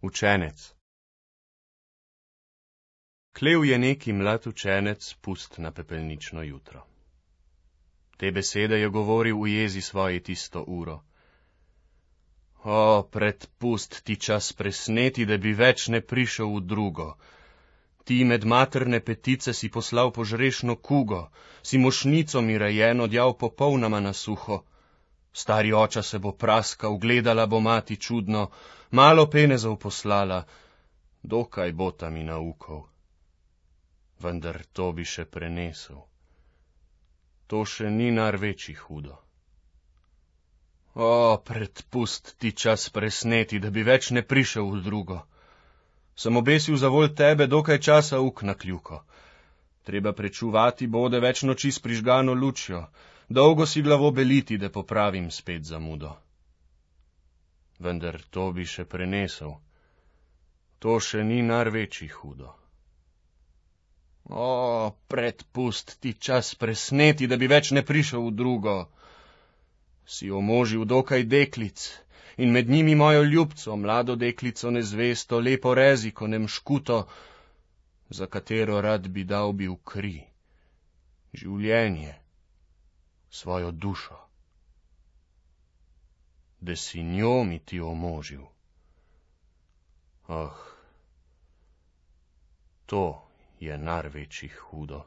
Učenec. Klev je neki mlad učenec pust na pepelnično jutro. Te besede je govoril v jezi svoji tisto uro. O, predpust ti čas presneti, da bi več ne prišel v drugo. Ti med materne petice si poslal požrešno kugo, si mošnico mi rejeno djav popolnoma na suho. Stari oča se bo praskal, gledala bo mati čudno, malo penezov poslala, dokaj bo ta mi naukov. Vendar to bi še prenesel. To še ni nar večji hudo. O, predpust ti čas presneti, da bi več ne prišel v drugo. Sem obesil za volj tebe dokaj časa uk na kljuko. Treba prečuvati bode več noči s prižgano lučjo, dolgo si glavo beliti, da popravim spet zamudo. Vendar to bi še prenesel. To še ni nar večji hudo. O, predpust ti čas presneti, da bi več ne prišel v drugo. Si omožil dokaj deklic in med njimi mojo ljubco, mlado deklico nezvesto, lepo reziko, nemškuto, za katero rad bi dal bil kri, življenje, svojo dušo. Da si njo mi ti omožil. Oh, to je nar večjih hudo.